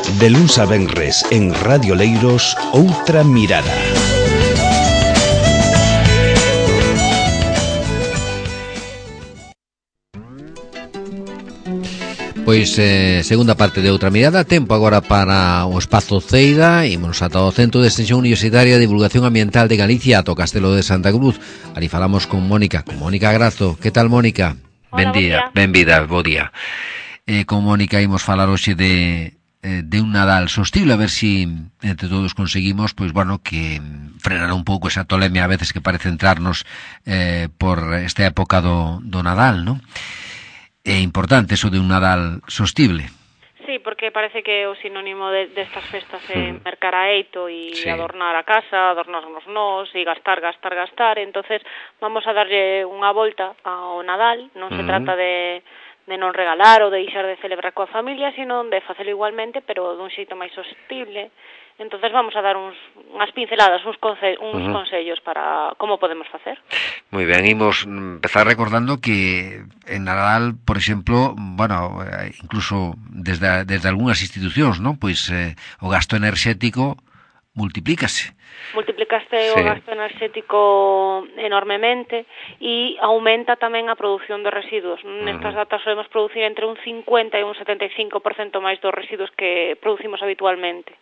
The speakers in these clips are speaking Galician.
De luns a venres en Radio Leiros, Outra Mirada. Pois segunda parte de Outra Mirada. Tempo agora para o espazo Ceira. Imos ata o Centro de Extensión Universitaria de Divulgación Ambiental de Galicia, ata o Castelo de Santa Cruz. Ali falamos con Mónica Grazo. Que tal, Mónica? Hola, benvida, bo día. Con Mónica imos falar hoxe de un Nadal sostible, a ver si entre todos conseguimos, pois bueno, que frenar un pouco esa tolemia a veces que parece entrarnos por esta época do Nadal, non? É importante eso de un Nadal sostible. Sí, porque parece que o sinónimo destas festas é mercar a eito e adornar a casa, adornarnos nós e gastar. Entonces vamos a darlle unha volta ao Nadal. Non se trata de non regalar ou de deixar de celebrar coa familia, sino de facelo igualmente, pero dun xeito máis sostible. Entonces vamos a dar unhas pinceladas, uns consellos para como podemos facer. Moi ben, imos empezar recordando que en Nadal, por exemplo, bueno, incluso desde algunhas institucións, non? Pois o gasto enerxético multiplícase o gasto enerxético enormemente e aumenta tamén a produción de residuos. Nestas datas solemos producir entre un 50 e un 75% máis dos residuos que producimos habitualmente.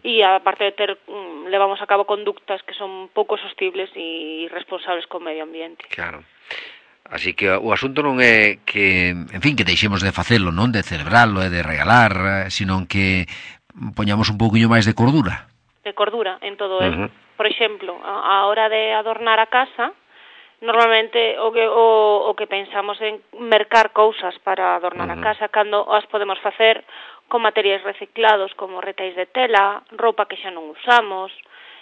E aparte de levamos a cabo conductas que son pouco sostibles e responsables co medio ambiente. Claro. Así que o asunto non é que, en fin, que deixemos de facelo, non de celebrarlo e de regalar, sino que poñamos un pouquiño máis de cordura. De cordura en todo eso. Por exemplo, a hora de adornar a casa, normalmente o que pensamos en mercar cousas para adornar a casa, cando as podemos facer con materiais reciclados como retais de tela, roupa que xa non usamos,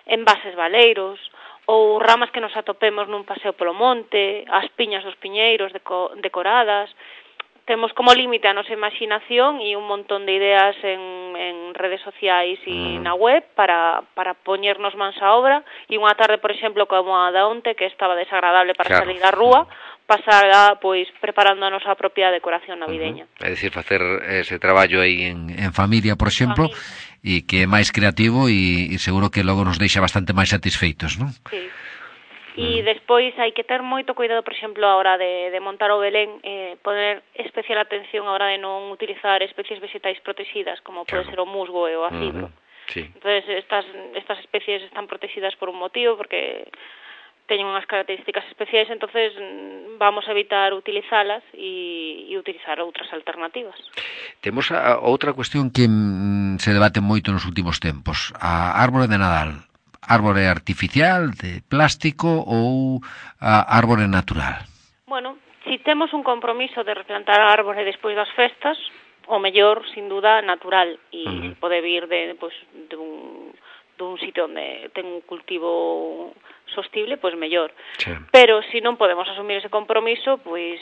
envases baleiros ou ramas que nos atopemos nun paseo polo monte, as piñas dos piñeiros decoradas. Temos como límite a nosa imaginación e un montón de ideas en redes sociais e na web para poñernos mans á obra, e unha tarde, por exemplo, como a da onte, que estaba desagradable para salir á rúa, pasará pois preparando a nosa propia decoración navideña. É dicir, facer ese traballo aí en familia, por exemplo, e que é máis creativo e seguro que logo nos deixa bastante máis satisfeitos, non? Sí. E despois hai que ter moito cuidado, por exemplo, a hora de montar o Belén, poner especial atención a hora de non utilizar especies vegetais protegidas, como pode ser o musgo e o acibro. Entonces, estas especies están protegidas por un motivo, porque teñen unhas características especiais, entonces vamos a evitar utilizalas e utilizar outras alternativas. Temos outra cuestión que se debate moito nos últimos tempos, a árbore de Nadal. Árbore artificial, de plástico ou árbore natural? Bueno, si temos un compromiso de replantar a árbore despois das festas, o mellor, sin duda, natural, e pode vir dun sitio onde ten un cultivo sostible, pois mellor. Sí. Pero se non podemos asumir ese compromiso, pois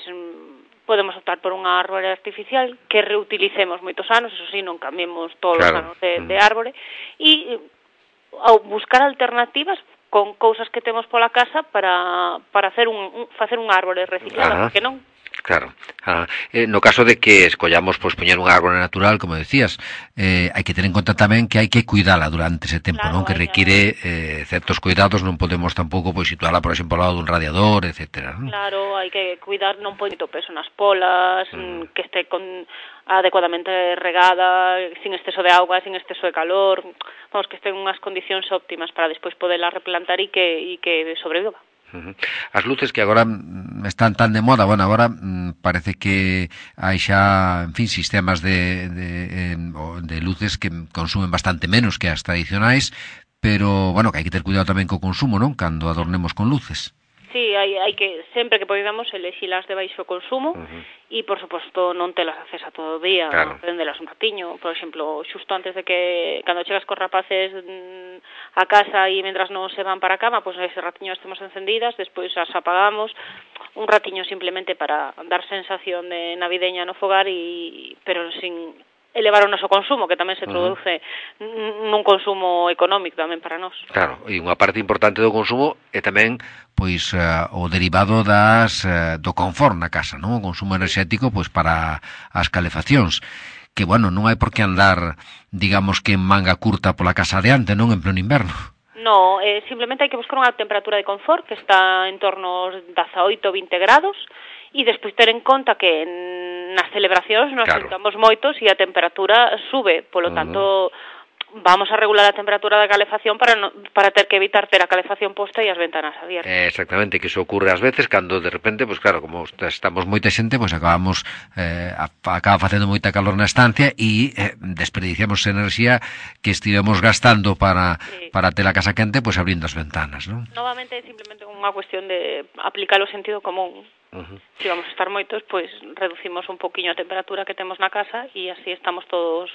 podemos optar por unha árbore artificial que reutilicemos moitos anos, eso sí, non cambiemos todos os anos de árbore, e ao buscar alternativas con cousas que temos pola casa para facer un árbore reciclado, porque non? Claro. No caso de que escollamos pois poñer un árbore natural, como decías, hai que ter en conta tamén que hai que cuidala durante ese tempo, non? Que require certos cuidados, non podemos tampouco pois situala, por exemplo, ao lado dun radiador, etcétera, non? Claro, hai que cuidar, non poñer moito peso nas polas, que este adecuadamente regada, sin exceso de auga, sin exceso de calor, vamos, que este en unhas condicións óptimas para despois poderla replantar e que sobreviva. As luces que agora están tan de moda, bueno, agora parece que hai xa, en fin, sistemas de luces que consumen bastante menos que as tradicionais, pero, bueno, que hai que ter cuidado tamén co consumo, non? Cando adornemos con luces. Sí, hai que, sempre que podamos, elegirlas de baixo consumo e, por suposto, non telas accesa todo o día, prendelas un ratiño, por exemplo, xusto antes de que, cando chegas cos rapaces a casa e mentras non se van para a cama, pois ese ratiño estemos encendidas, despois as apagamos, un ratiño simplemente para dar sensación de navideña no fogar, pero sin elevar o noso consumo, que tamén se traduce nun consumo económico tamén para nós. Claro, e unha parte importante do consumo é tamén pois o derivado do confort na casa, non? O consumo enerxético pois para as calefaccións, que, bueno, non hai por que andar, digamos que en manga curta pola casa adiante, non en pleno inverno. No, simplemente hai que buscar unha temperatura de confort que está en torno aos 18-20 grados e despois ter en conta que nas celebracións nos sentamos moitos e a temperatura sube, polo tanto vamos a regular a temperatura da calefacción para ter que evitar ter a calefacción posta e as ventanas abiertas. Exactamente, que iso ocurre ás veces cando de repente, pois claro, como estamos moita xente, pois acaba facendo moita calor na estancia e desperdiciamos enerxía que estivemos gastando para ter a casa quente, pois abrindo as ventanas, non? Novamente é simplemente unha cuestión de aplicar o sentido común. Se vamos a estar moitos, pois reducimos un poquinho a temperatura que temos na casa e así estamos todos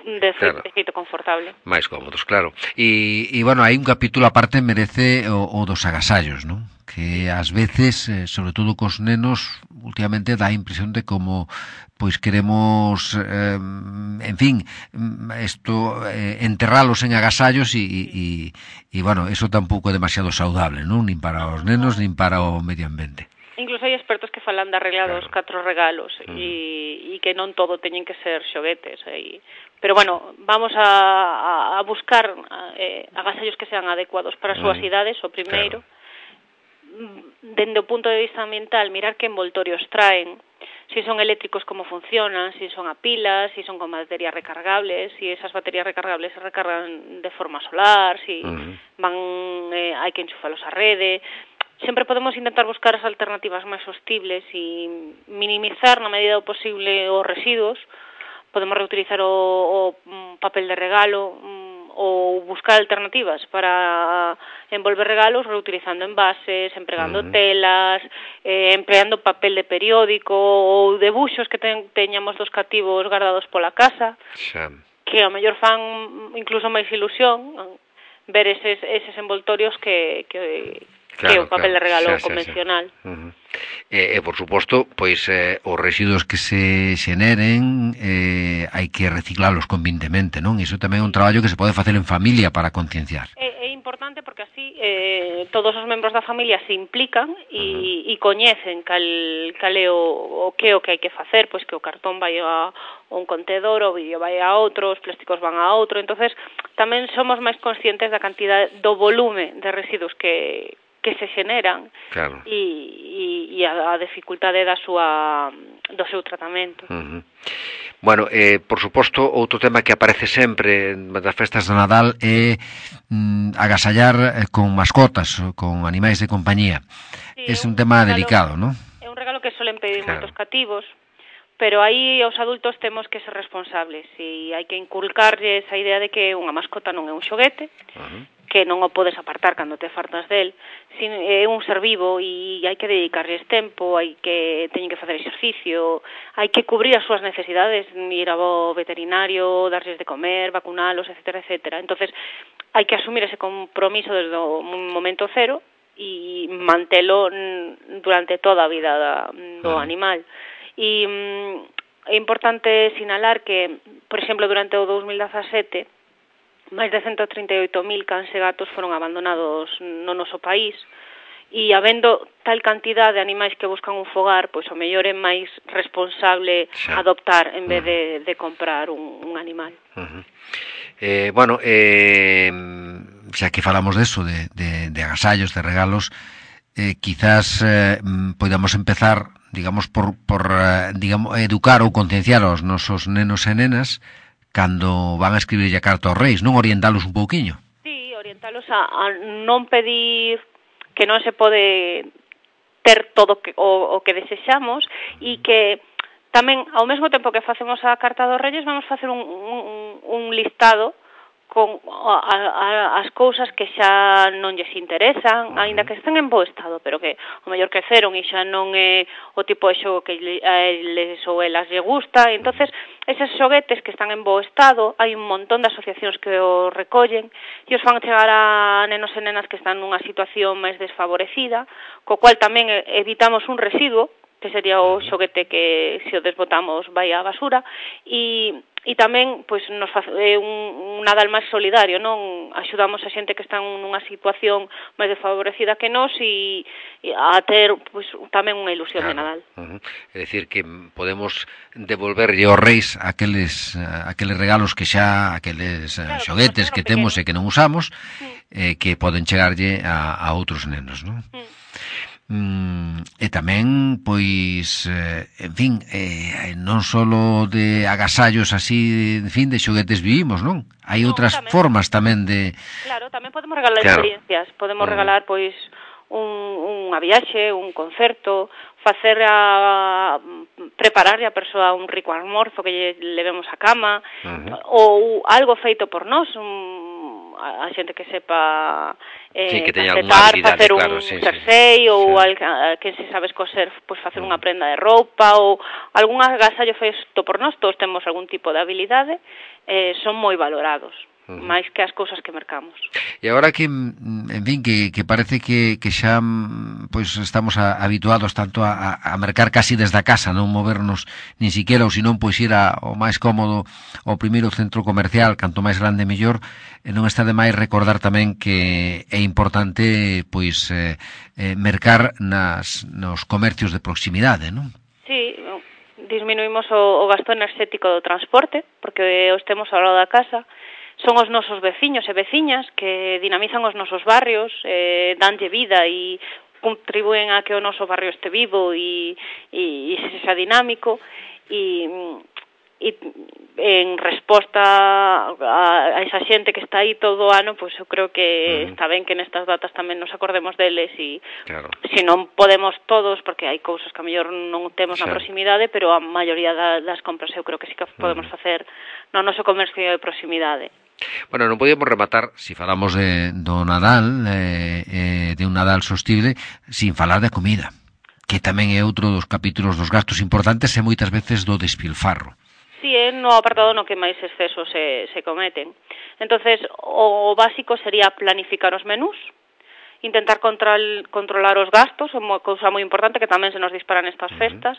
de feito confortable. Mais cómodos, claro. E bueno, hai un capítulo aparte merece o dos agasallos, non? Que ás veces, sobre todo cos nenos, últimamente dá a impresión de como pois queremos, en fin, enterralos en agasallos e bueno, eso tampouco é demasiado saudable, non? Nin para os nenos, nin para o medio ambiente. Incluso hai expertos que falan da regla dos 4 regalos e que non todo teñen que ser xoguetes. Pero bueno, vamos a buscar agasallos que sean adecuados para as súas idades, o primeiro. Dende o punto de vista ambiental, mirar que envoltorios traen, si son eléctricos como funcionan, si son a pilas, si son con baterías recargables, si esas baterías recargables se recargan de forma solar, si hai que enchufalos á rede. Sempre podemos intentar buscar as alternativas máis sostibles e minimizar na medida do posible os residuos. Podemos reutilizar o papel de regalo ou buscar alternativas para envolver regalos reutilizando envases, empregando telas, empleando papel de periódico ou debuxos que teñamos dos cativos guardados pola casa, que ao mellor fan incluso máis ilusión ver eses envoltorios que o papel de regalo convencional. E por suposto, pois os residuos que se xeneren hai que reciclalos convintemente, non? Iso tamén é un traballo que se pode facer en familia para concienciar. É importante porque así todos os membros da familia se implican e coñecen cal é o que hai que facer, pois que o cartón vai a un contedor, o vidrio vai a outro, os plásticos van a outro, entonces tamén somos máis conscientes da cantidade do volume de residuos que se xeneran e a dificultade do seu tratamento. Bueno, por suposto, outro tema que aparece sempre das festas de Nadal é agasallar con mascotas, con animais de compañía. É un tema delicado, non? É un regalo que solen pedir moitos cativos, pero aí os adultos temos que ser responsables e hai que inculcarlles a idea de que unha mascota non é un xoguete, que non o podes apartar cando te fartas del, é un ser vivo e hai que dedicarlles tempo, teñen que facer exercicio, hai que cubrir as súas necesidades, ir ao veterinario, darlles de comer, vacunalos, etcétera, etcétera. Entonces, hai que asumir ese compromiso desde o momento cero e mantelo durante toda a vida do animal. E é importante sinalar que, por exemplo, durante o 2017, máis de 138.000 cans e gatos foron abandonados no noso país e habendo tal cantidad de animais que buscan un fogar, pois o mellor é máis responsable adoptar en vez de comprar un animal. Bueno, xa que falamos deso, de agasallos, de regalos, quizás podamos empezar, digamos, por educar ou concienciar aos nosos nenos e nenas cando van a escribirlle a carta aos reis, non orientalos un pouquiño? Sí, orientalos a non pedir que non se pode ter todo o que desexamos e que tamén, ao mesmo tempo que facemos a carta dos reis, vamos facer un listado con as cousas que xa non lles interesan, aínda que estén en bo estado, pero que o mellor queceron e xa non é o tipo de xogo que eles ou elas lle gusta. Entonces, eses xoguetes que están en bo estado, hai un montón de asociacións que os recollen e os fan chegar a nenos e nenas que están nunha situación máis desfavorecida, co cual tamén evitamos un residuo, que sería o xoguete que se o desbotamos vai á basura, e e tamén pois nos un Nadal máis solidario, non? Axudamos a xente que está nunha situación máis desfavorecida que nós e a ter pois tamén unha ilusión de Nadal. É dicir que podemos devolverlle aos reis aqueles regalos que xa aqueles xoguetes que temos e que non usamos que poden chegarlle a outros nenos, non? E tamén, pois, en fin, non só de agasallos así, en fin, de xoguetes vivimos, non? Hai outras formas tamén de... Claro, tamén podemos regalar experiencias, podemos regalar, pois, unha viaxe, un concerto, prepararlle a persoa un rico almorzo que lle levemos a cama, ou algo feito por nós, a xente que sepa que teña alguna habilidade, facer un jersey ou que se sabes coser, pois facer unha prenda de roupa ou algún agasallo feito por nós, todos temos algún tipo de habilidade, son moi valorados, máis que as cousas que mercamos. E agora que, en fin, que parece que xa pois estamos habituados tanto a mercar casi desde a casa, non movernos nin siquiera, ou senón pois ir ao máis cómodo ao primeiro centro comercial, canto máis grande mellor, non está de máis recordar tamén que é importante pois mercar nos comercios de proximidade, non? Sí, disminuímos o gasto enerxético do transporte, porque os temos ao lado da casa. Son os nosos veciños e veciñas que dinamizan os nosos barrios, danlle vida e contribúen a que o noso barrio este vivo e sexa dinámico e en resposta a esa xente que está aí todo o ano, pois eu creo que está ben que nestas datas tamén nos acordemos deles e se non podemos todos, porque hai cousas que a mellor non temos na proximidade, pero a maioría das compras eu creo que sí que podemos facer no noso comercio de proximidade. Bueno, non podíamos rematar, se falamos do Nadal, de un Nadal sostible, sin falar de comida, que tamén é outro dos capítulos dos gastos importantes e moitas veces do despilfarro. Sí, é no apartado no que máis excesos se cometen. Entonces, o básico sería planificar os menús, intentar controlar os gastos, é unha cousa moi importante que tamén se nos disparan estas festas,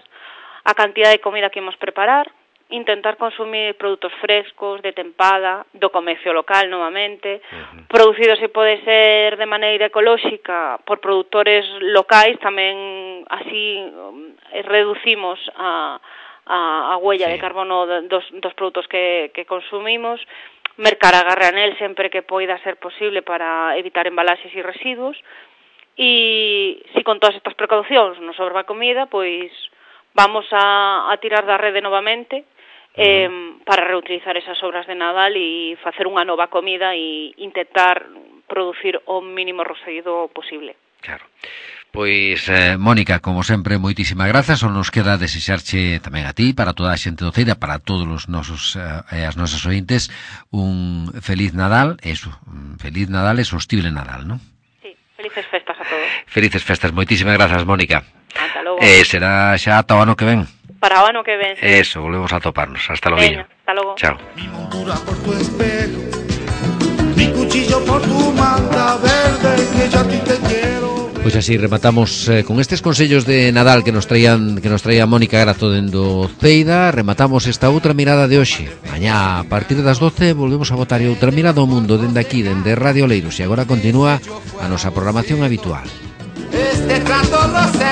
a cantidad de comida que imos preparar, intentar consumir produtos frescos, de tempada, do comercio local novamente, producidos se pode ser de maneira ecolóxica por produtores locais, tamén así reducimos a huella de carbono dos produtos que consumimos, mercar a granel sempre que poida ser posible para evitar embalaxes e residuos, e se con todas estas precaucións nos sobra comida, pois vamos a tirar da rede novamente para reutilizar esas sobras de Nadal e facer unha nova comida e intentar producir o mínimo residuo posible. Claro. Pois, Mónica, como sempre, moitísimas grazas. Só nos queda desexarche tamén a ti, para toda a xente do Ceira, para todos os nosos as nosas ointes, un feliz Nadal, feliz Nadal e sostible Nadal, non? Sí, felices festas a todos. Felices festas, moitísimas grazas, Mónica. Ata logo. Será xa ata o ano que ven. Para o ano que ven, sí. Eso, volvemos a toparnos. Hasta logo. Hasta logo. Chao. Mi montura por tu espejo, mi cuchillo por tu manta verde, que yo a ti te quiero. Pois así rematamos con estes consellos de Nadal que nos traía Mónica Grazo dendo Ceida. Rematamos esta outra mirada de hoxe. Mañá a partir das 12 volvemos a botar outra mirada ao mundo dende aquí, dende Radio Leiros, e agora continúa a nosa programación habitual. Este trato lo sé.